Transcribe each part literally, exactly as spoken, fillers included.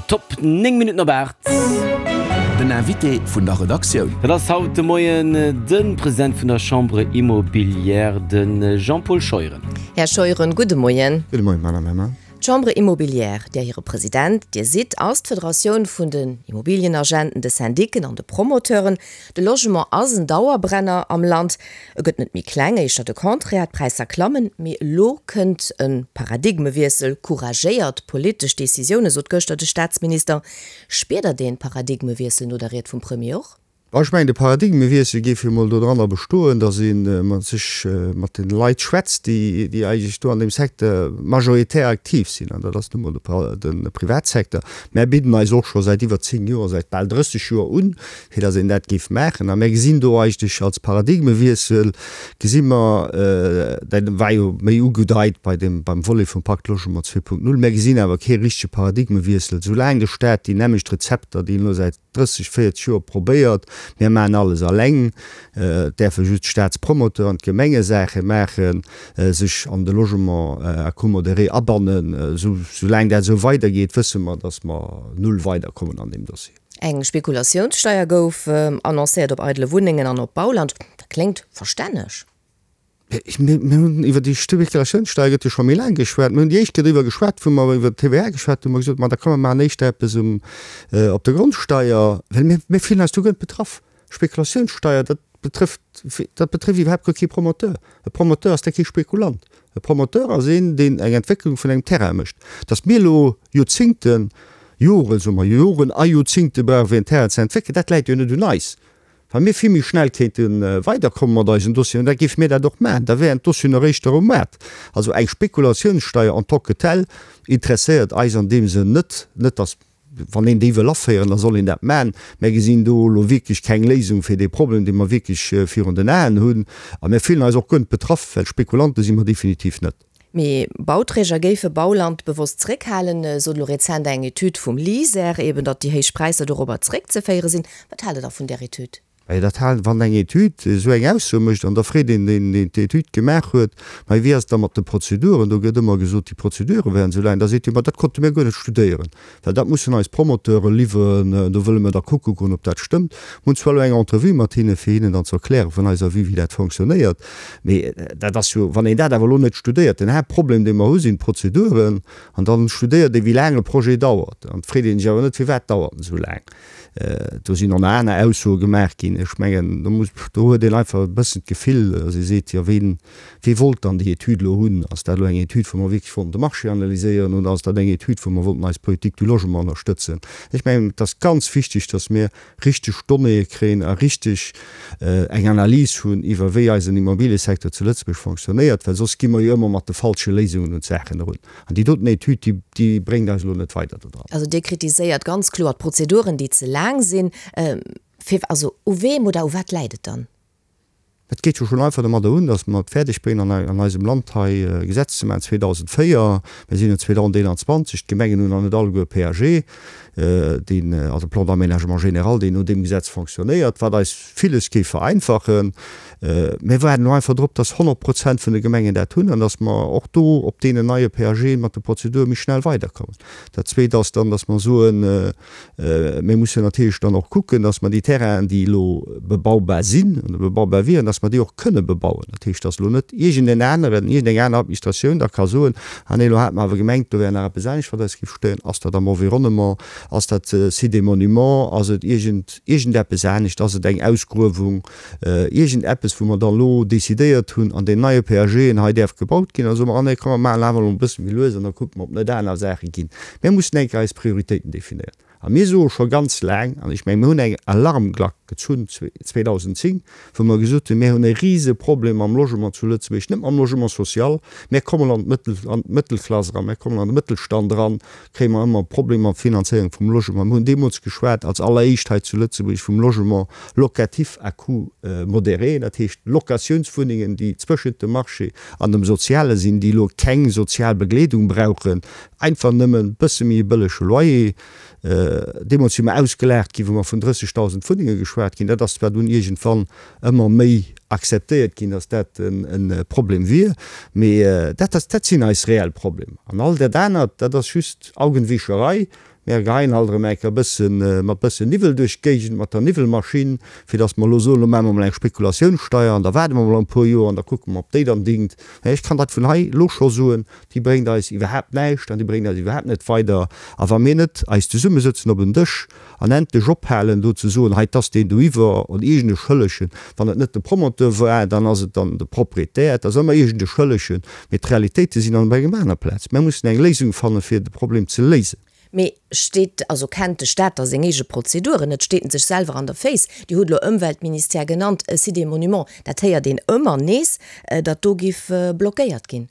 Top, néng Minutten op aacht. Den Invité vun der Redaktioun. Dat ass haut de Moien de President vun der Chambre Immobilière, de Jean-Paul Scheuren. Här Scheuren, gudde Moien. Gudde Moien, Madame Hemmer. D'Chambre Immobilière, där hire President Dir sidd, ass d'Federatioun vun den Immobilienagenten, de Syndiken an de Promoteuren. De Logement ass en Dauerbrenner am Land. E gëtt net méi kleng, éischter de Contraire, d'Präisser klammen. Mee elo kënnt e Paradigmewiessel, couragéiert politesch Decisioune sot gëschter de Staatsminister. Spiert Der dee Paradigmewiessel no der Ried vum Premier och? Ech mengen, de Paradigmewiessel géif jo emol dodranner bestoen, datt ee mat sech mat de Leit schwätzt, déi déi eigentlech do an deem Secteur majoritär aktiv sinn, an dat ass nu mol de Privatsecteur. Mär bidden eis och scho säit iwwer zéng Joer, säit bal drësseg Joer un, fir datt een dat géif maachen. A mär gesinn do eigentlech als Paradigmewiessel, gesi mer, dat war jo méi ugedeit bei dem, beim Volet vum Pacte Logement zwee Punkt null, mär gesinn awer kee richtege Paradigmewiessel, soulaang de Stat déi nämmlecht Rezepter, déi en elo säit drësseg, véierzeg Joer probéiert, mir maachen alles eleng, et däerfe just d'Staatspromoteur an d'Gemenge Saache maachen, sech an de Logement à coût modéré abannen. Soulaang dat esou weidergeet, wësse mer, datt mer null weiderkommen an deem Dossier. Eng Spekulatiounssteier gouf annoncéiert op eidele Wunnengen an op Bauland. Dat kléngt verstänneg. Mir hunn iwwer déi Spekulatiounssteier gëtt jo scho méi laang geschwat. Mir hunn déi éischt Kéier driwwer geschwat, wou mer iwwer d'T V A geschwat hunn, hu mer gesot, ma da komm mer maachen éischter eppes um, op der Grondsteier, well mir, mir fillen eis do guer net betraff. Spekulatiounssteier, dat betrëfft, dat betrëfft iwwerhaapt guer kee Promoteur. E Promoteur ass da kee Spekulant. E Promoteur ass een, deen eng Entwécklung vun engem Terrain mécht. Datt mir elo Joerzingten, Joren, soe mer, Joren a Joerzingte brauchen, fir en Terrain ze entwéckelen, dat läit jo net un eis. Wa mir vill méi schnell kéinte weiderkomme mat eisen Dossieren, da géife mir dat och maachen. Da wären d'Dossieren eréischt um Maart. Also eng Spekulatiounssteier en tant que telle interesséiert eis an deem Sënn net. Net datt, wann een déi wëll aféieren, da soll een dat maachen. Mir gesinn do elo wierklech keng Léisung fir dee Problem, dee mer wierklech virun den Aen hunn. A mir fillen eis och guer net betraff, well Spekulante si mer definitiv net. Mee Bauträger géife Bauland bewosst zréckhalen, sot elo rezent eng Etüd vum LISER eben, datt déi héich Präisser dorobber zréckzeféiere sinn. Wat haalt Der da vun där Etüd? Majo, dat halen, wann eng Etüd esou eng Ausso mécht, an da freet een deen, deen d'Etüd gemaach huet, Mä wéi ass et da mat de Prozeduren? Do gëtt ëmmer gesot, déi Prozedure wären esou laang. Da seet hie, Ma dat konnte mir guer net studéieren, well dat mussen eis Promoteure liwweren, do wëlle mir da kucke goen, ob dat stëmmt. Mir hunn zwar elo eng Entrevue mat hinne fir hinnen dann ze erklären, vun eiser Vue, wéi dat fonctionnéiert, mee dat ass jo, wann een dat awer elo net studéiert, den Haaptproblem, dee mer hu sinn d'Prozeduren, an dann studéiert ee wéi laang e Projet dauert, an et freet ee sech awer net, firwat dauert en esou laang. Do sinn och nach aner Aussoe gemaach ginn. Ech mengen, do muss, do huet een einfach e bëssen d'Gefill, datt ee seet, jo ween, wee wollt dann déi Etüd elo hunn? Ass dat elo eng Etüd, wou mer wierklech wollten de Marché analyséieren oder ass dat eng Etüd, wou mer wollten eis Politique du logement ënnerstëtzen? Ech mengen, et ass ganz wichteg, datt mir richteg Donnéeë kréien a richteg eng Analys hunn iwwer wéi eisen Immobiliësecteur zu Lëtzebuerg fonctionnéiert, well soss gi mer jo ëmmer mat de falsche Léisungen un d'Saachen erun. An déi doten Etüd, déi, déi bréngt eis elo net weider do dran. Also Dir kritiséiert ganz kloer d'Prozeduren, déi ze laang sinn. Fir, also u weem oder u wat läit et dann? Et geet jo schonn einfach domadder un, datt mer et fäerdeg bréngen, an, an eisem Land hei e Gesetz ze maachen, zweedausendvéier, mir sinn elo zweedausendeenanzwanzeg, d'Gemengen hunn nach net alleguer e P A G, deen, also Plan d'aménagement général, deen no deem Gesetz fonctionnéiert, wat eis villes géif vereinfachen. Mir waarden elo einfach drop, datt honnert Prozent vun de Gemengen dat hunn an datt mer och do op deenen neie P A G mat de Prozedure méi schnell weiderkommen. Dat Zweet ass dann, datt mer soen, mir mussen natierlech dann och kucken, datt mer déi Terrainen, déi elo bebaubar sinn oder bebaubar wieren, datt mer déi och kënne bebauen. Dat heescht, datt elo net iergendeen aneren, iergendeng aner Administratioun da ka soen, ah nee, elo hate mer awer gemengt, do wär nach eppes anescht, wat eis géif stéieren. Ass dat am Environnement? Ass dat Site des Monuments? Ass et iergend, iergendeppes anescht? Ass et eng Ausgruewung? Iergendeppes, wou mer dann elo decidéiert hunn, an deem neie P A Gen hei däerf gebaut ginn. Da soe mer, ah nee, komm, mer maachen awer elo e bësse méi lues an da kucke mer, ob net aner Saache ginn. Mir mussen eng Kéier eis Prioritéiten definéieren. A mir soe scho ganz laang, an ech mengen, mir hunn eng Alarmglack gezunn zweedausendzéng, wou mer gesot hunn, mir hunn e Riseproblem mam Logement zu Lëtzebuerg, net mam Logement social, mir kommen an d'Mëttel, an d'Mëttelklass eran, mir kommen an de Mëttelstand eran, kréie mer ëmmer Problemer mat Finanzéierung vum Logement. Mir hunn deemools geschwat als alleréischt hei zu Lëtzebuerg vum Logement locatif à coût modéré, dat heescht Locatiounswunnengen, déi zwëschent dem Marché an dem Soziale sinn, déi elo keng sozial Begleedung brauchen, einfach nëmmen e bësse méi e bëllege Loyer. Deemools si mer ausgelaacht ginn, wou mer vun drëssigtausend Wunnenge geschwat ginn. Dat ass zwar dunn iergendwann ëmmer méi akzeptéiert ginn, datt dat en Problem wier, mee dat ass, dat sinn eis reell Problemer. An all dat anert, dat ass just Augenwischerei. Mär geheien halt erëm eng Kéier e bëssen, mat bëssen Niwwel duerch d'Géigend, mat der Niwwelmaschinn, fir datt mer elo soen, elo maache mer emol eng Spekulatiounssteier an da waarde mer emol e puer Joer an da kucke mer, ob déi dann dingt. Mä ech kann dat vun hei elo scho soen, déi bréngt eis iwwerhaapt näischt an déi bréngt eis iwwerhaapt net weider. A wa mir net eis zesummesëtzen op en Dësch an endlech ophalen do ze soen, hei 't ass deen doiwwer an iergend e Schëllegen, wann et net de Promoteur war, dann ass et dann de Proprietär, et ass ëmmer iergend e Schëllegen, mee d'Realitéite sinn an op engem aner Plaz. Mir mussen eng Léisung fanne fir de Problem ze léisen. Mee steet, also kennt de Staat da seng eege Prozeduren net? Steet en sech selwer an der Féiss? Dir hutt elo Ëmweltministère genannt, Site des Monuments, dat héiert een ëmmer nees, datt do giff blockéiert ginn.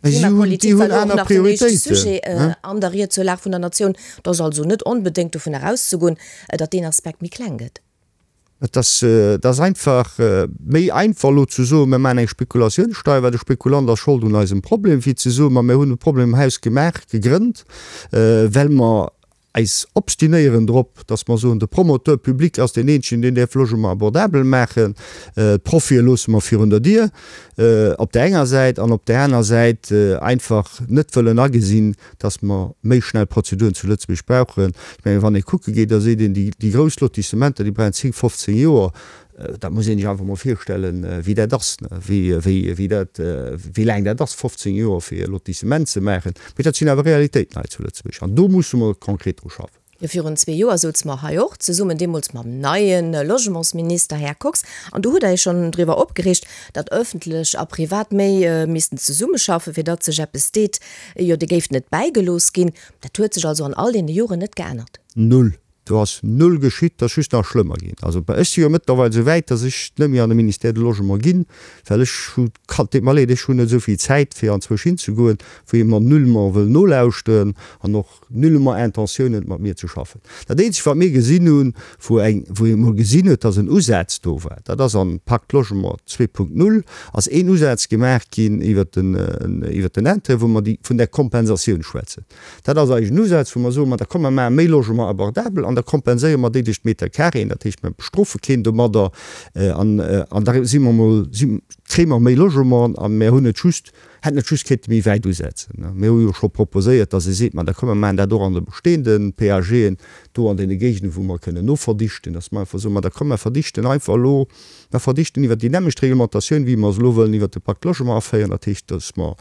D'Klimapolitik war elo och nach den éischte Sujet an der Ried zur Lag vun der Natioun. Et ass also net onbedéngt dovunner auszegoen, datt deen Aspekt méi kleng gëtt. Et ass, et ass einfach méi einfach elo ze soen, mir maachen eng Spekulatiounssteier, well de Spekulant ass Schold un eisem Problem, wéi ze soen, ma mir hunn e Problem am Haus gemaach, gegrënnt, well mer eis obstinéieren drop, dass mer soen, de Promoteur public ass deen eenzegen, deen däerf Logement abordabel maachen, d'Profie loosse mer virun der Dier op där enger Säit an op där aner Säit einfach net wëllen agesinn, dass mer méi schnell Prozeduren zu Lëtzebuerg brauchen. Ech mengen, wann ee kucke geet, da seet een, déi grouss Lotissementer, déi brauchen zéng, fofzéng Joer. Dat muss ee sech einfach emol virstellen, wéi dat ass, wéi dat, wéi laang dat ass, fofzéng Joer fir e Lotissement ze maachen. Mee dat sinn awer Realitéiten hei zu Lëtzebuerg an do musse mer konkret dru schaffen. Jo, virun zwee Joer souze mer hei och zesummen, deemools mam neie Logementsminister Här Kox, an do hutt Der Iech schonn driwwer opgereegt, datt ëffentlech a privat méi missten zesummeschaffen, fir datt sech eppes deet. Jo, Dir géift net bäigelooss ginn. Dat huet sech also an all deene Joren net geännert. Null. Do ass null geschitt, et ass just nach schlëmmer ginn. Also ech si jo mëttlerweil esou wäit, datt ech net méi an de Ministère du Logement ginn, well ech hu, et deet mer leed, ech hunn net esou vill Zäit fir anzwousch hinzegoen, wou ee mer nullement wëll nolauschteren an och nullement Intentioun huet mat mir ze schaffen. Dat eenzegt wat mir gesinn hunn, wou eng, wou ee mol gesinn huet, datt en Usaz do war, dat ass am Pacte Logement zwee Punkt null ass een Usaz gemaach ginn iwwert den, iwwert den Intérêt, wou mer déi, vun där Kompensatioun schwätzen. Dat ass eigentlech en Usaz, wou mer soen, ma da komm mer maache méi Logement abordable an da kompenséiere mer déi duerch d'Metercarréen, dat heescht mer bestrofe keen domadder an, an da si mer mol, si, kréie mer méi Logement a mer hunn et just, hätten et just kéinte méi wäit usetzen. Mir hu jo scho proposéiert, datt ee seet, ma da komm mer maachen dat och an de bestehende PAGen do an deene Géigenden, wou mer kënnen noverdichten, datt mer einfach soen, ma da komm mer verdichten einfach elo, mer verdichten iwwert déi nämmlecht Reglementatioun, wéi mer se elo wëllen iwwert de Pacte Logement aféieren, dat heescht, datt mer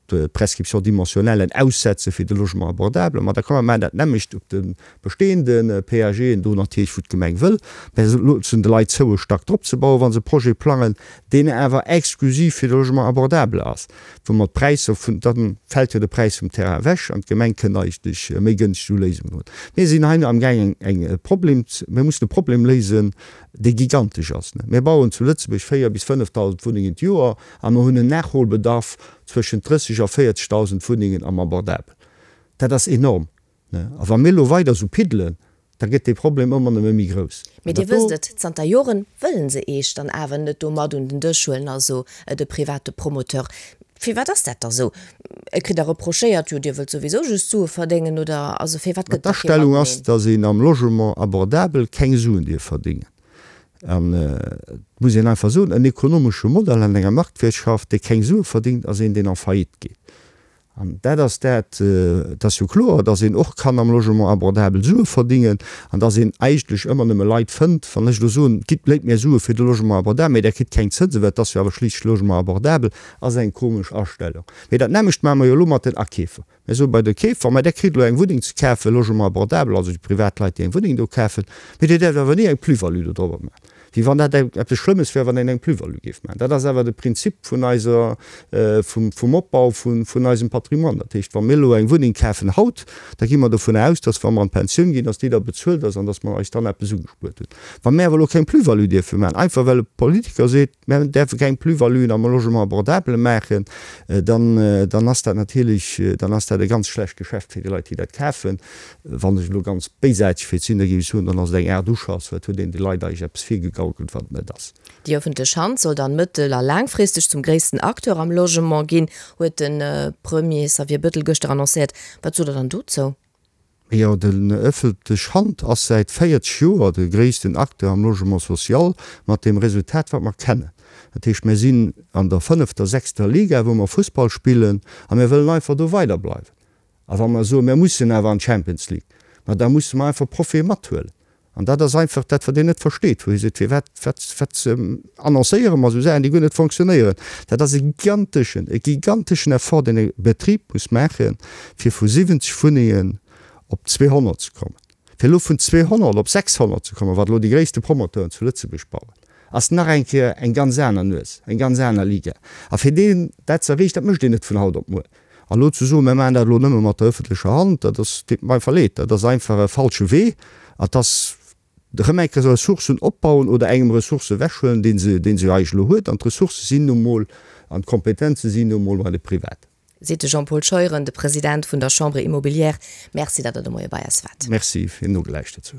d'Prescription dimensionnelle aussetze fir de Logement abordable, ma da komm mer maachen dat nämmlecht op de bestehende PAGen do natierlech, wou d'Gemeng wëll, mä se loossen de Leit zou e Stack drop ze bauen, wa se e Projet plangen, deen awer exklusiv fir de Logement abordable ass, wou mer d'Präisser vun, da fält jo de Präis vum Terrain ewech an d'Gemeng kënnt eigentlech méi gënschteg u Léisungen un. Mir sinn hei amgaangen eng e Problem, mir mussen e Problem léisen, dee gigantesch ass. Mir bauen zu Lëtzebuerg véier bis fënnefdausend Wunnengen d'Joer a mer hunn en Nachholbedarf zwëschent drësseg a véierzegdausend Wunnengen am Abordabel. Dat ass enorm. A wa mir elo weider esou piddelen, da gëtt dee Problem ëmmer nëmme méi grouss. Mee Dir wësst et, zanter Joren wëllen se Eech dann awer net do mat un den Dësch huelen, also de private Promoteur. Firwat ass dat da sou? Et kritt Der reprochéiert, jo Dir wëllt souwisou just Sue verdéngen, oder also firwat gëtt da kee D'Astellung ass, Mateneen? datt een am Logement abordabel keng Suen dierf verdéngen. An et muss een einfach soen, en ekonomesche Modell an enger Marktwirtschaft, dee keng Sue verdéngt, ass een, deen en faillite geet. An dat ass dat, et ass jo kloer, datt een och kann am Logement abordabel Sue verdingen an datt een eigentlech ëmmer nëmme Leit fënnt, wann ech elo soen, gitt, léit mir Sue fir de Logement abordabel, mee Der kritt keng Zënsen, well et ass jo awer schliisslech Logement abordabel, ass eng komesch Astellung. Mee dat nämmlecht maache mer jo elo mat den Akeefer. Mir soe bei de Keefer, mä Der kritt elo eng Wunneng ze kafen, Logement abordabel, also déi privat Leit, déi eng Wunneng do kafen, mee Dir däerft awer ni eng Plus-value do drobber maachen. Wéi wann dat eppes Schlëmmes wär, wann een eng Plus-value géif maachen. Dat ass awer de Prinzip vun eiser, vum Opbau vun eisem Patrimoine. Dat heescht, wa mir elo eng Wunneng kafen haut, da gi mer dovun aus, dass, wa mer an d'Pensioun ginn, dass déi da bezuelt ass an dass mer eis dann eppes ugespuert hunn. Wa mir awer elo keng Plus-value dierfe maachen, einfach well e Politiker seet, mir däerfe keng Plus-valuen am Logement abordable maachen, dann, dann ass dat natierlech, dann ass dat e ganz schlecht Geschäft fir déi Leit, déi dat kafen. Wann ech elo ganz béisaarteg wéilt sinn, da géif ech soen, dann ass et eng Aart Uschass, well et huet een de Leit eigentlech eppes virgegaukelt, wat et net ass. Déi ëffentlech Hand soll dann mëttel a laangfristeg zum gréissten Acteur am Logement ginn, huet de Premier Xavier Bettel gëschter annoncéiert. Wat sot Der dann dozou? Jo, den ëffentlech Hand ass säit véierzeg Joer de gréissten Acteur am Logement social, mat deem Resultat, wat mer kennen. Dat heescht, mir sinn an der fënnefter, sechster Liga, wou mer Fussball spillen, a mir wëllen einfach do weiderbleiwen. A wa mer soen, mir mussen awer an d'Champions League, ma da musse mer einfach Profie mathuelen. An dat ass einfach dat, wat een net versteet, wou ee seet, Firwat, wat, wat annoncéiere mer esou Saachen, déi guer net fonctionnéieren? Dat ass e giganteschen, e giganteschen Effort, deen e Betrib muss maachen, fir vu siwwenzeg Wunnengen op zweehonnert ze kommen. Fir elo vun zweehonnert op sechshonnert ze kommen, wat elo déi gréisste Promoteuren zu Lëtzebuerg bauen, ass nach eng Kéier eng ganz aner Nues, eng ganz aner Liga. A fir deen dat ze erreechen, dat mécht een net vun haut op muer. An elo ze soen, mir maachen dat elo nëmme mat der öffentlecher Hand, dat ass, deet mer einfach leed, dat ass einfach e falsche Wee. Et ass erëm eng Kéier Ressourcen opbauen oder engem Ressourcë ewechhuelen, dee se, dee se eigentlech elo huet. An d'Ressourcë sinn nu mol an d'Kompetenze sinn nu mol bei de Privaten. Seet de Jean-Paul Scheuren, de President vun der Chambre Immobilière. Merci, datt Der de Moie bei eis waart. Merci, fir nogelauschtert ze hunn.